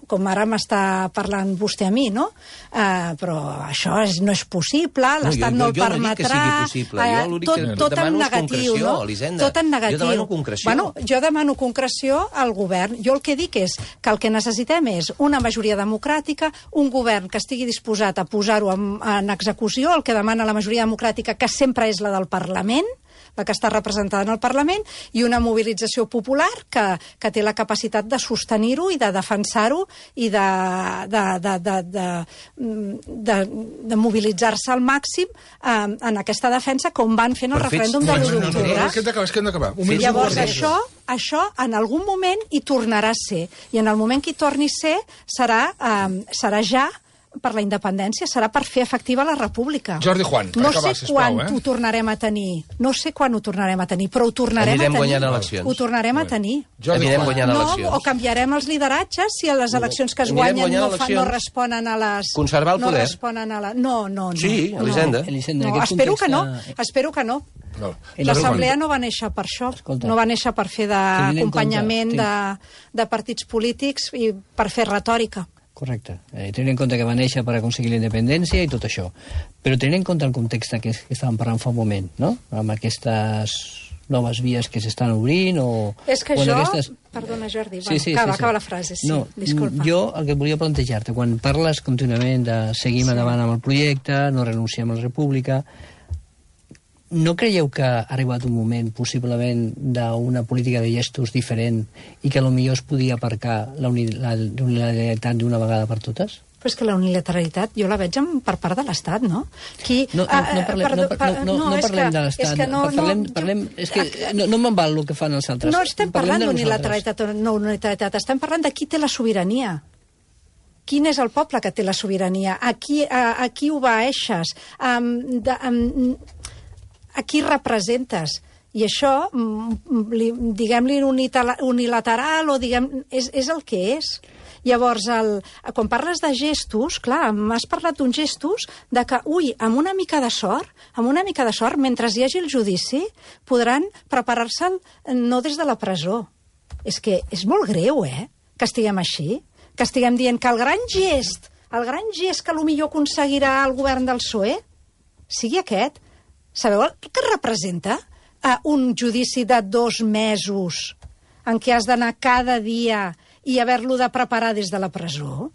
com ara m'està parlant vostè a mi, no? Eh, però això és, no és possible, l'Estat no, no, no el permetrà... Jo no dic que sigui possible, eh, jo l'únic tot, que tot demano en és negatiu, concreció, no? Elisenda. Tot en negatiu. Jo demano concreció. Bueno, jo demano concreció al govern. Jo el que dic és que el que necessitem és una majoria democràtica, un govern que estigui disposat a posar-ho en, en execució, el que demana la majoria democràtica, que sempre és la del Parlament, la que està representada en el Parlament, i una mobilització popular que, que té la capacitat de sostenir-ho i de defensar-ho i de, de, de, de, de, de, de mobilitzar-se al màxim eh, en aquesta defensa, com van fer en el referèndum de l'u d'octubre. És que hem d'acabar. Llavors, això, això en algun moment hi tornarà a ser. I en el moment que hi torni a ser, serà, eh, serà ja per la independència, serà per fer efectiva la república. Jordi Juan, per no acabar, sé sisplau, quan eh? ho tornarem a tenir, no sé quan ho tornarem a tenir, però ho tornarem Anirem a tenir. guanyant eleccions. Ho tornarem a tenir. Anirem guanyant no, eleccions. o canviarem els lideratges si a les eleccions que es Anirem guanyen no, fa, eleccions. no responen a les... Conservar el no poder. responen a la... No, no, no. Sí, Elisenda. No, Elisenda, no, espero que no, espero que no. No. L'Assemblea no va néixer per això, Escolta, no va néixer per fer d'acompanyament de, de partits polítics i per fer retòrica. Correcte. Eh, tenint en compte que va néixer per aconseguir la independència i tot això. Però tenint en compte el context que, que estàvem parlant fa un moment, no? Amb aquestes noves vies que s'estan obrint o... És que o jo... aquestes... Perdona, Jordi, sí, bueno, sí, acaba, sí, sí. acaba la frase, sí, no, disculpa. Jo el que volia plantejar-te, quan parles contínuament de seguim sí. endavant amb el projecte, no renunciem a la república, no creieu que ha arribat un moment, possiblement, d'una política de gestos diferent i que potser es podia aparcar la unilateralitat d'una vegada per totes? Però és que la unilateralitat jo la veig per part de l'Estat, no? Qui, no, no, no parlem, per, no, per, no, no, no parlem de l'Estat. No, parlem, no, parlem, és que no, no me'n val el que fan els altres. No estem parlant d'unilateralitat o no unilateralitat, estem parlant de qui té la sobirania. Quin és el poble que té la sobirania? A qui, a, a qui obeeixes? Um, de, um, a qui representes? I això, diguem-li unilateral, o diguem, és, és el que és. Llavors, el, quan parles de gestos, clar, m'has parlat d'uns gestos de que, ui, amb una mica de sort, amb una mica de sort, mentre hi hagi el judici, podran preparar-se no des de la presó. És que és molt greu, eh?, que estiguem així, que estiguem dient que el gran gest, el gran gest que potser aconseguirà el govern del P S O E, sigui aquest. Sabeu el que representa uh, un judici de dos mesos en què has d'anar cada dia i haver-lo de preparar des de la presó?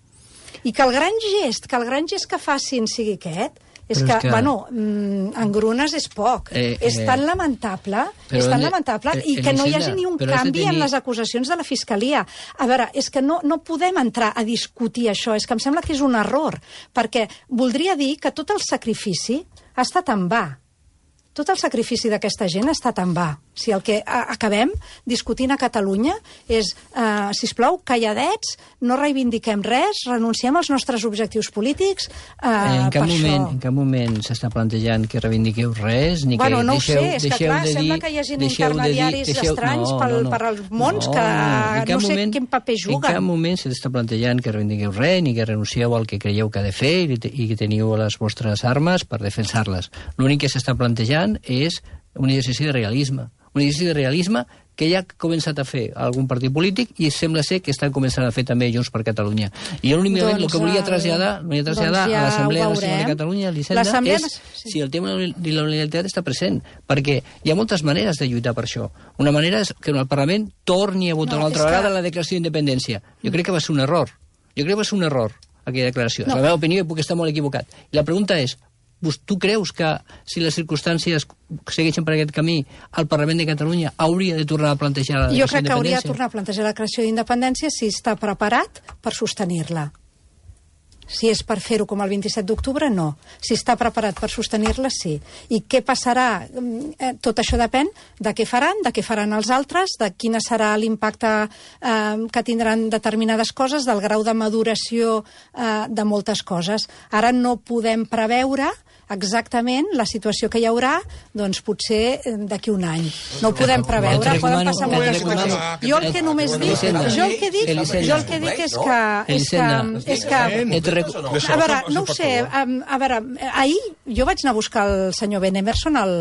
I que el gran gest, que el gran gest que facin sigui aquest, és que, que, bueno, en grunes és poc. Eh, eh, és tan lamentable, és tan lamentable, eh, i que no hi hagi ni un canvi tenir... en les acusacions de la Fiscalia. A veure, és que no, no podem entrar a discutir això, és que em sembla que és un error, perquè voldria dir que tot el sacrifici ha estat en va. Tot el sacrifici d'aquesta gent ha estat en va. Si el que acabem discutint a Catalunya és, eh, sisplau, calladets, no reivindiquem res, renunciem als nostres objectius polítics, eh, en cap per moment, això. En cap moment s'està plantejant que reivindiqueu res, ni Bueno, que no ho deixeu, sé, és que deixeu clar, de dir... sembla que hi hagin deixeu de dir- intermediaris deixeu- estranys no, pel, no, no. per als mons No, que en cap no sé moment- quin paper En cap juguen. moment s'està plantejant que reivindiqueu res, ni que renuncieu al que creieu que ha de fer i, te- i que teniu les vostres armes per defensar-les. L'únic que s'està plantejant és un exercici de realisme. Un exercici de realisme que ja ha començat a fer algun partit polític i sembla ser que estan començant a fer també Junts per Catalunya. I jo l'únicament Doncs, el que volia eh, traslladar, volia traslladar doncs ja a l'Assemblea ho Nacional de veurem. Catalunya, Elisenda, L'Assemblea és Nas- sí. si el tema de la unilateralitat està present, perquè hi ha moltes maneres de lluitar per això. Una manera és que el Parlament torni a votar No, una altra és que- vegada la declaració d'independència. Jo crec que va ser un error. Jo crec que va ser un error, aquella declaració. No. És la meva opinió i puc estar molt equivocat. I la pregunta és, tu creus que si les circumstàncies segueixen per aquest camí, el Parlament de Catalunya hauria de tornar a plantejar la Jo declaració crec que hauria de d'independència? tornar a plantejar la creació d'independència si està preparat per sostenir-la. Si és per fer-ho com el vint-i-set d'octubre, no. Si està preparat per sostenir-la, sí. I què passarà? Eh, Tot això depèn de què faran, de què faran els altres, de quin serà l'impacte eh, que tindran determinades coses, del grau de maduració eh, de moltes coses. Ara no podem preveure exactament la situació que hi haurà, doncs potser eh, d'aquí un any. No ho podem preveure, Et poden recomano- passar et moltes recomano- coses. Jo el que només dic, Elisenda, jo el que dic, Elisenda. jo el que dic és que... És que, Elisenda, és que et rec- a veure, no ho sé, a, a veure, ahir jo vaig anar a buscar el senyor Ben Emerson al,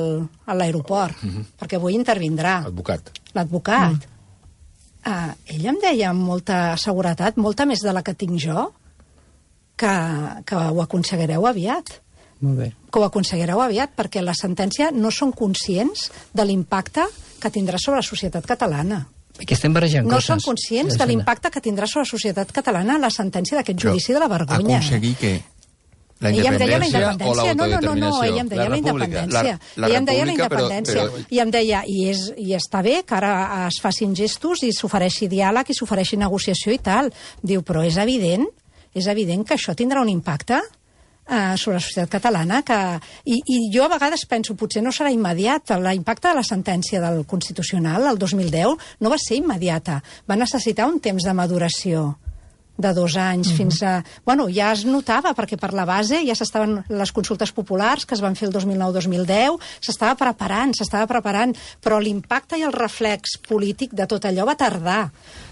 a l'aeroport, perquè avui intervindrà Advocat. l'advocat. Uh, ell em deia amb molta seguretat, molta més de la que tinc jo, que, que ho aconseguireu aviat. Molt bé. Que ho aconseguireu aviat, perquè la sentència no són conscients de l'impacte que tindrà sobre la societat catalana. Que estem barrejant No coses. són conscients de Elisenda. l'impacte que tindrà sobre la societat catalana la sentència d'aquest judici de la vergonya. Aconseguir que la Ella em deia la independència o independència. No, no, no, no, l'autodeterminació? ella em deia la, independència. La, la ella em deia la república, però- independència. però- I em deia, i, és, i està bé que ara es facin gestos i s'ofereixi diàleg i s'ofereixi negociació i tal. Diu, però és evident, és evident que això tindrà un impacte eh, sobre la societat catalana que... I, I jo a vegades penso, potser no serà immediat. L'impacte de la sentència del Constitucional el dos mil deu no va ser immediata. Va necessitar un temps de maduració de dos anys mm-hmm. fins a... Bueno, ja es notava, perquè per la base ja s'estaven les consultes populars que es van fer el dos mil nou dos mil deu, s'estava preparant, s'estava preparant, però l'impacte i el reflex polític de tot allò va tardar.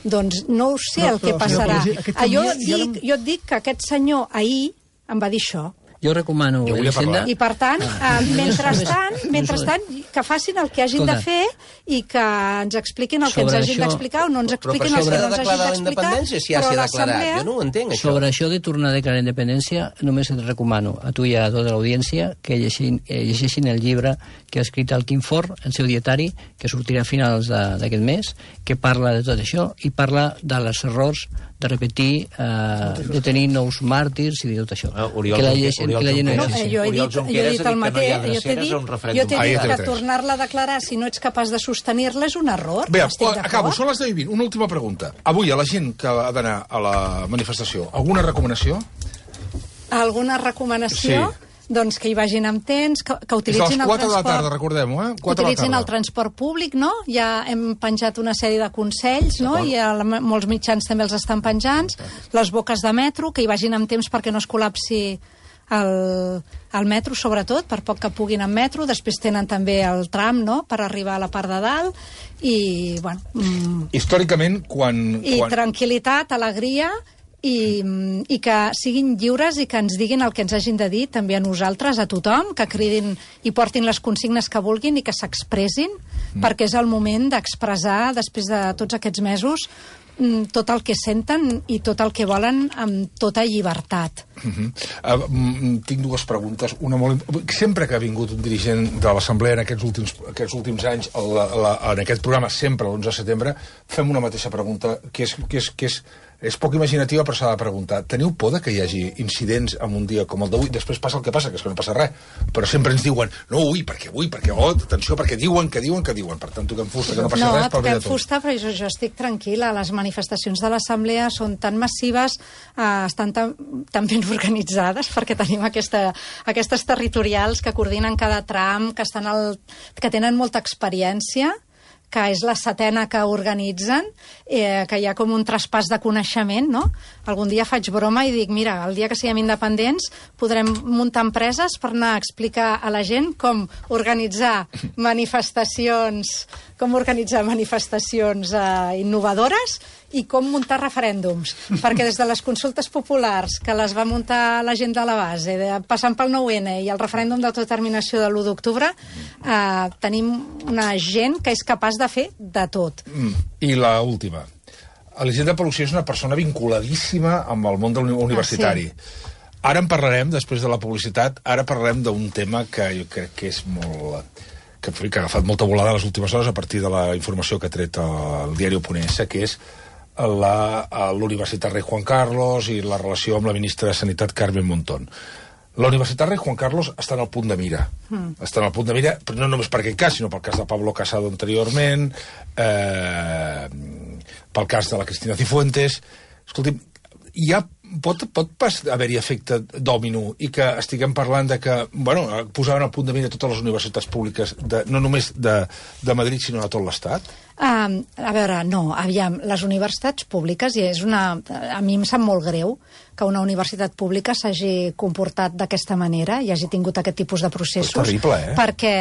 Doncs no ho sé No, el que però, passarà. senyor Pellicer, aquest Ah, jo, canvi ja dic, l'hem- jo et dic que aquest senyor ahir em va dir això. Jo recomano, Jo volia Elisenda... parlar. I, per tant, Ah. eh, mentrestant, Només- mentrestant, que facin el que hagin Escolta. de fer i que ens expliquin el que Sobre ens hagin això- d'explicar o no ens Però per expliquin això el que haurà no de ens hagin declarar la d'explicar. independència, si ja però s'hi ha declarat. l'Assemblea- Jo no ho entenc, això. Sobre això de tornar a declarar independència, només et recomano a tu i a tota l'audiència que llegeixin, eh, llegeixin el llibre que ha escrit el Quim Forn, el seu dietari, que sortirà a finals de- d'aquest mes, que parla de tot això i parla dels errors de repetir, eh, de tenir nous màrtirs i de tot això. Ah, Oriol que la Junqueras- llegeixin, Oriol que la gent no No, Junqueras- eh, jo he Oriol dit, jo he Junqueras dit ha el dit que no hi ha mateix. Jo t'he dreceres dit, a un jo referèndum. t'he Ah, dit ja té que tres. tornar-la a declarar si no ets capaç de sostenir-la és un error. Bé, Estic d'acord. acabo, són les deu i vint. Una última pregunta. Avui, a la gent que ha d'anar a la manifestació, alguna recomanació? Alguna recomanació? Sí. Doncs que hi vagin amb temps, que, que És a utilitzin les el quatre de la transport... tarda, recordem-ho, eh? Que quatre de la utilitzin el tarda. transport públic, no? Ja hem penjat una sèrie de consells, no? I a la, molts mitjans també els estan penjant. Les boques de metro, que hi vagin amb temps perquè no es col·lapsi el, el metro, sobretot, per poc que puguin en metro. Després tenen també el tram, no?, per arribar a la part de dalt. I, bueno... Mm, Històricament, quan... I quan... tranquil·litat, alegria... I, i que siguin lliures i que ens diguin el que ens hagin de dir també a nosaltres, a tothom, que cridin i portin les consignes que vulguin i que s'expressin, mm. perquè és el moment d'expressar, després de tots aquests mesos, tot el que senten i tot el que volen amb tota llibertat. Uh -huh. uh, mm, tinc dues preguntes. Una molt... Sempre que ha vingut un dirigent de l'Assemblea en aquests últims, aquests últims anys, a la, a la, en aquest programa, sempre l'onze de setembre, fem una mateixa pregunta, que és, que és, que és, és poc imaginativa, però s'ha de preguntar. Teniu por de que hi hagi incidents en un dia com el d'avui? Després passa el que passa, que és que no passa res. Però sempre ens diuen, no, ui, perquè avui, perquè, oh, atenció, perquè diuen, que diuen, que diuen. Per tant, toquem fusta, que no passa no, res, pel bé de toquem tots. fusta, però jo, jo estic tranquil·la. Les manifestacions de l'Assemblea són tan massives, eh, estan tan, tan ben organitzades, perquè tenim aquesta, aquestes territorials que coordinen cada tram, que, estan al, que tenen molta experiència, que és la setena que organitzen, eh, que hi ha com un traspàs de coneixement, no? Algun dia faig broma i dic, mira, el dia que siguem independents podrem muntar empreses per anar a explicar a la gent com organitzar manifestacions, com organitzar manifestacions eh, innovadores i com muntar referèndums. Perquè des de les consultes populars, que les va muntar la gent de la base, de, passant pel nou ene i el referèndum d'autodeterminació de l'u d'octubre, eh, tenim una gent que és capaç de fer de tot. Mm. I la última. Elisenda Paluzie és una persona vinculadíssima amb el món universitari. Ah, sí. Ara en parlarem, després de la publicitat, ara parlarem d'un tema que jo crec que és molt... que, que ha agafat molta volada les últimes hores a partir de la informació que ha tret el diari Oponense, que és la, l'Universitat Rei Juan Carlos i la relació amb la ministra de Sanitat Carmen Montón. La Universitat Rei Juan Carlos està en el punt de mira. Mm. Està en el punt de mira, però no només per aquest cas, sinó pel cas de Pablo Casado anteriorment, eh, pel cas de la Cristina Cifuentes. Escolti'm, hi ha, pot, pot haver-hi efecte dòmino i que estiguem parlant de que, bueno, posaven al punt de mira totes les universitats públiques, de, no només de, de Madrid, sinó de tot l'Estat? Um, a veure, no, aviam, les universitats públiques, i és una... A mi em sap molt greu que una universitat pública s'hagi comportat d'aquesta manera i hagi tingut aquest tipus de processos. És terrible, eh? Perquè,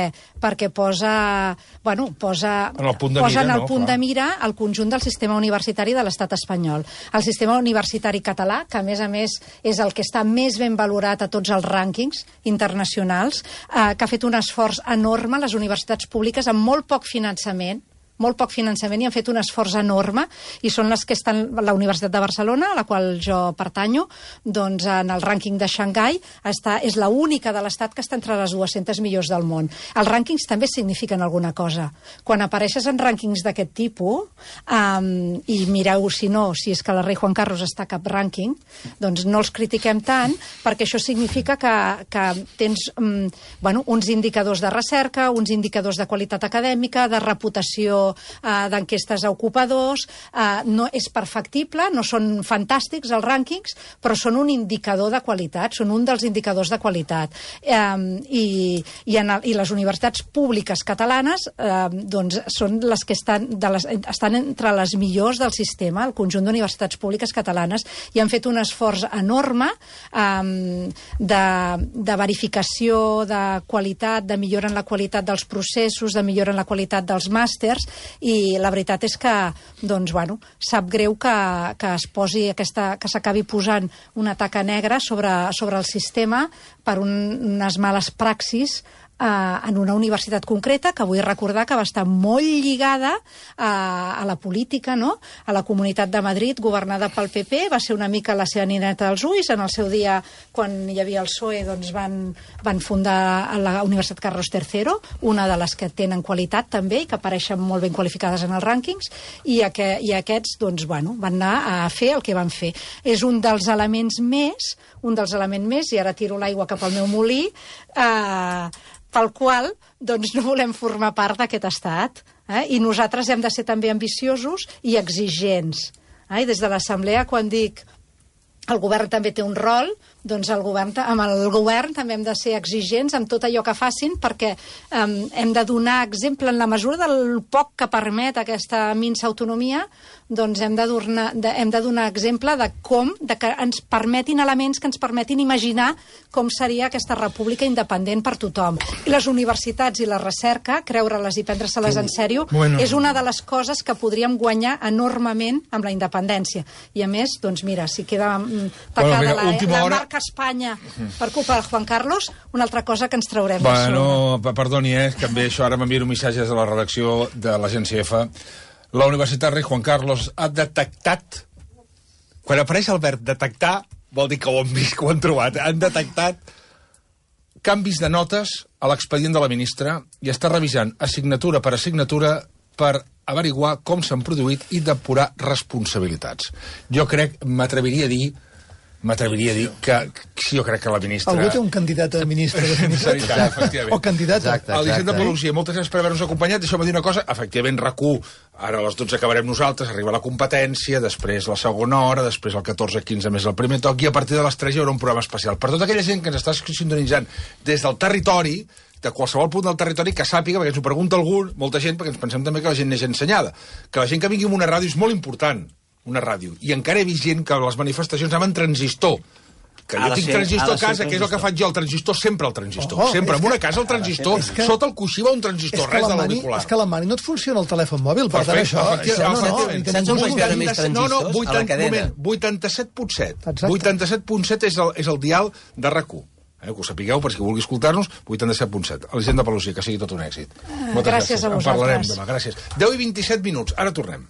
perquè posa... Bueno, posa... En el punt de posa mira, en el no, punt clar. de mira el conjunt del sistema universitari de l'estat espanyol. El sistema universitari català, que a més a més és el que està més ben valorat a tots els rànquings internacionals, eh, que ha fet un esforç enorme, les universitats públiques, amb molt poc finançament, molt poc finançament i han fet un esforç enorme i són les que estan, la Universitat de Barcelona, a la qual jo pertanyo, doncs en el rànquing de Xangai està, és l'única de l'Estat que està entre les dues-centes millors del món. Els rànquings també signifiquen alguna cosa. Quan apareixes en rànquings d'aquest tipus, um, i mireu si no, si és que la Rei Juan Carlos està a cap rànquing, doncs no els critiquem tant, perquè això significa que, que tens um, bueno, uns indicadors de recerca, uns indicadors de qualitat acadèmica, de reputació Uh, d'enquestes a ocupadors, uh, no és perfectible, no són fantàstics els rànquings, però són un indicador de qualitat, són un dels indicadors de qualitat. Um, i, i, en el, I les universitats públiques catalanes uh, doncs són les que estan, de les, estan entre les millors del sistema, el conjunt d'universitats públiques catalanes, i han fet un esforç enorme um, de, de verificació de qualitat, de millora en la qualitat dels processos, de millora en la qualitat dels màsters, i la veritat és que, doncs, bueno, sap greu que, que es posi aquesta, que s'acabi posant una taca negra sobre, sobre el sistema per un, unes males praxis Uh, en una universitat concreta, que vull recordar que va estar molt lligada uh, a la política, no? A la Comunitat de Madrid, governada pel P P, va ser una mica la seva nineta dels ulls. En el seu dia, quan hi havia el P S O E, doncs van, van fundar la Universitat Carlos tercero, una de les que tenen qualitat també i que apareixen molt ben qualificades en els rànquings, i, aqu i aquests doncs, bueno, van anar a fer el que van fer. És un dels elements més, un dels elements més, i ara tiro l'aigua cap al meu molí, eh, pel qual doncs, no volem formar part d'aquest estat. Eh? I nosaltres hem de ser també ambiciosos i exigents. Eh? I des de l'Assemblea, quan dic el govern també té un rol, doncs el govern, amb el govern també hem de ser exigents amb tot allò que facin, perquè um, hem de donar exemple en la mesura del poc que permet aquesta minsa autonomia, doncs hem de, donar, de, hem de donar exemple de com, de que ens permetin elements que ens permetin imaginar com seria aquesta república independent per tothom. I les universitats i la recerca, creure-les i prendre-se-les en sèrio, bueno, és una de les coses que podríem guanyar enormement amb la independència. I a més, doncs mira, si queda tacada bueno, mira, la, la hora... marca Espanya per culpa de Juan Carlos, una altra cosa que ens traurem. Bueno, perdoni, eh, que també això ara m'envien missatges a la redacció de l'Agència F. La Universitat Rei Juan Carlos ha detectat, quan apareix el verb detectar, vol dir que ho han vist, que ho han trobat, han detectat canvis de notes a l'expedient de la ministra i està revisant assignatura per assignatura per averiguar com s'han produït i depurar responsabilitats. Jo crec, m'atreviria a dir, m'atreviria a dir que, que sí, jo crec que la ministra... Algú té un candidat a ministre de Sanitat, efectivament. O candidata. Exacte. Elisenda Paluzie, moltes gràcies per haver-nos acompanyat. Deixeu-me dir una cosa, efectivament, RAC u, ara a les dotze acabarem nosaltres, arriba la competència, després la segona hora, després el catorze quinze més el primer toc, i a partir de les tres hi haurà un programa especial. Per tota aquella gent que ens està sintonitzant des del territori, de qualsevol punt del territori, que sàpiga, perquè ens ho pregunta algú, molta gent, perquè ens pensem també que la gent neix ensenyada, que la gent que vingui amb una ràdio és molt important, una ràdio, i encara he vist gent que a les manifestacions anaven transistor, que jo tinc transistor a casa, que és el que faig jo, el transistor, sempre el transistor. Oh, sempre, en una que, casa el transistor, que, sota el coixí va un transistor, res de l'auricular. És que a la mani no et funciona el telèfon mòbil, per tant això... això no, no, Saps on vaig veure més transistors? No, no, a la cadena. vuitanta-set punt set. Exacte. vuitanta-set punt set és el, és el dial de RAC u. Eh, que ho sapigueu, per si vulgui escoltar-nos, vuitanta-set punt set. Elisenda Paluzie, que sigui tot un èxit. Moltes gràcies a En parlarem vosaltres. demà, gràcies. deu i vint-i-set minuts, ara tornem.